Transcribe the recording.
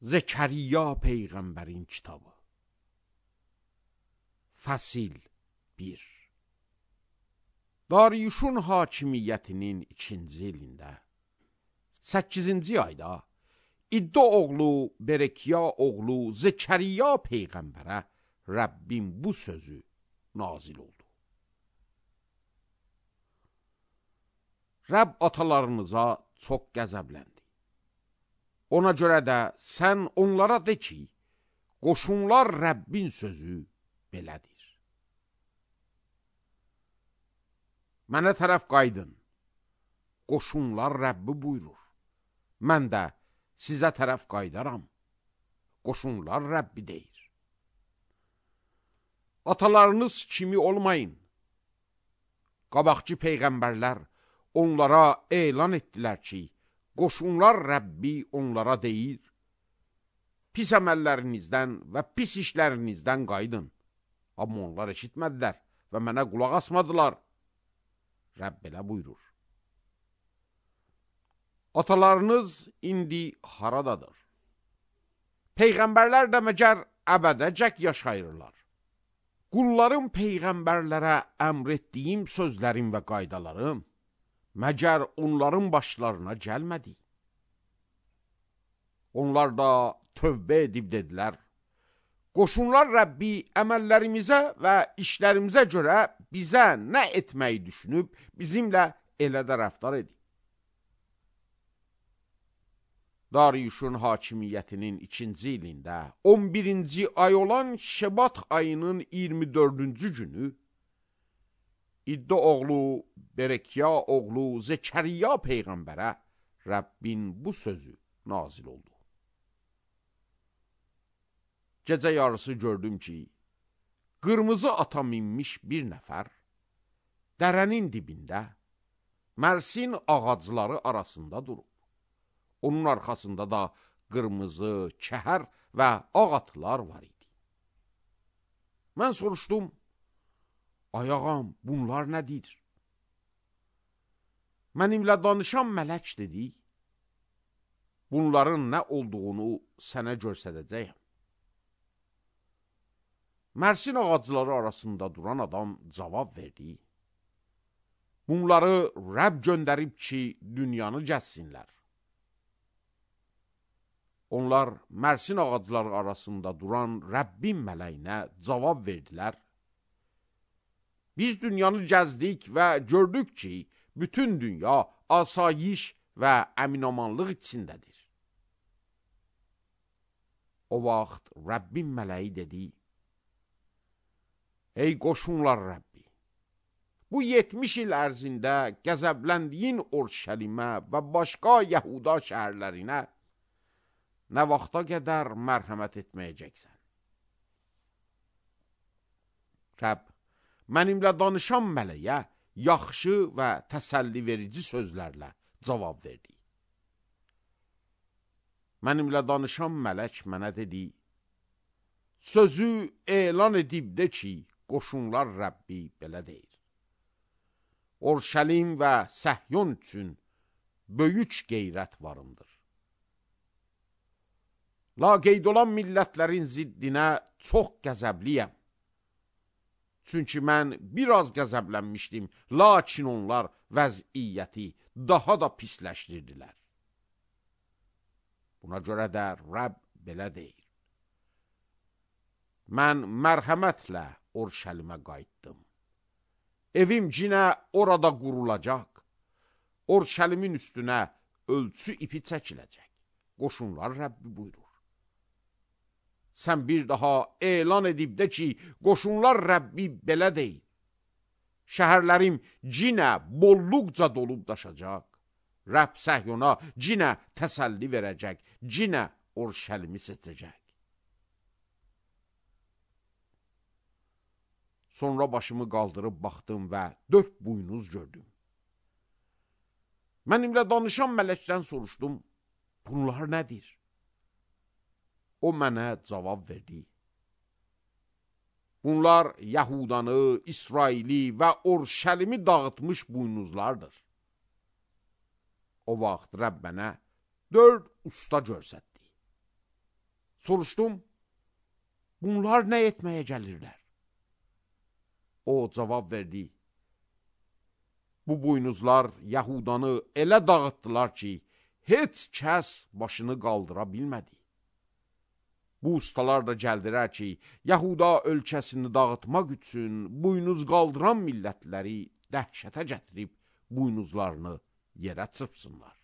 Zekeriya Peyğəmbərin kitabı. Fəsil 1. Dariyuşun hakimiyyətinin 2-ci ilində 8-ci ayda İddo oğlu Berekiya oğlu Zekeriya Peyğəmbərə Rəbbin bu sözü nazil oldu. Rəbb atalarınıza çox qəzəbləndi. Ona görə də sən onlara de ki, qoşunlar Rəbbin sözü belədir. Mənə tərəf qaydın, qoşunlar Rəbbi buyurur. Mən də sizə tərəf qaydaram, qoşunlar Rəbbi deyir. Atalarınız kimi olmayın. Qabaqçı peyğəmbərlər onlara elan etdilər ki, qoşunlar Rəbbi onlara deyir, pis əməllərinizdən və pis işlərinizdən qaydın. Amma onlar eşitmədilər və mənə qulaq asmadılar. Rəbb belə buyurur. Atalarınız indi haradadır? Peyğəmbərlər də məgər əbədəcək yaşayırlar. Qullarım peyğəmbərlərə əmr etdiyim sözlərim və qaydalarım məgər onların başlarına gəlmədi. Onlar da tövbə edib dedilər, qoşunlar Rəbbi əməllərimizə və işlərimizə görə bizə nə etməyi düşünüb, bizimlə elə də rəftar edib. Dariyuşun hakimiyyətinin 2-ci ilində 11-ci ay olan Şebat ayının 24-cü günü İddo oğlu Berekiya oğlu Zekeriya Peyğəmbərə Rəbbin bu sözü nazil oldu. Gecə yarısı gördüm ki, qırmızı ata minmiş bir nəfər dərənin dibində Mərsin ağacları arasında durub. Onun arxasında da qırmızı, kəhər və ağ atlar var idi. Mən soruşdum, ay ağam, bunlar nədir? Mənimlə danışan mələk dedi, bunların nə olduğunu sənə göstərəcəyəm. Mərsin ağacları arasında duran adam cavab verdi, bunları Rəbb göndərib ki, dünyanı gəzsinlər. Onlar Mərsin ağacları arasında duran Rəbbin mələyinə cavab verdilər. Biz dünyanı gəzdik və gördük ki, bütün dünya asayiş və əminamanlıq içindədir. O vaxt Rəbbin mələyi dedi, ey qoşunlar Rəbbi, bu 70 il ərzində qəzəbləndiyin Urşəlimə və başqa Yahuda şəhərlərinə nə vaxta qədər mərhəmət etməyəcəksən? Rəbb, mənimlə danışan mələyə yaxşı və təsəlli verici sözlərlə cavab verdi. Mənimlə danışan mələk mənə dedi, sözü elan edib de ki, qoşunlar Rəbbi belə deyir. Urşəlim və Səhyon üçün böyük qeyrət varımdır. Laqeyd olan millətlərin ziddinə çox qəzəbliyəm. Çünki mən biraz qəzəblənmişdim, lakin onlar vəziyyəti daha da pisləşdirdilər. Buna görə də Rəbb belə deyir. Mən mərhəmətlə Urşəlimə qayıtdım. Evim cinə orada qurulacaq. Urşəlimin üstünə ölçü ipi çəkiləcək. Qoşunlar Rəbbi buyurur. Sən bir daha elan edib de ki, qoşunlar Rəbbi belə deyil. Şəhərlərim cinə bolluqca dolub daşacaq. Rəbb Səhyona cinə təsəlli verəcək, cinə Urşəlimi seçəcək. Sonra başımı qaldırıb baxdım və 4 buynuz gördüm. Mənimlə danışan mələkdən soruşdum, bunlar nədir? O mənə cavab verdi. Bunlar Yahudanı, İsraili və Urşəlimi dağıtmış buynuzlardır. O vaxt Rəbb mənə 4 usta görsətdi. Soruşdum, bunlar nə etməyə gəlirlər? O cavab verdi, bu buynuzlar Yahudanı elə dağıtdılar ki, heç kəs başını qaldıra bilmədi. Bu ustalar da gəldilər ki, Yahuda ölkəsini dağıtmaq üçün buynuz qaldıran millətləri dəhşətə gətirib buynuzlarını yerə çırpsınlar.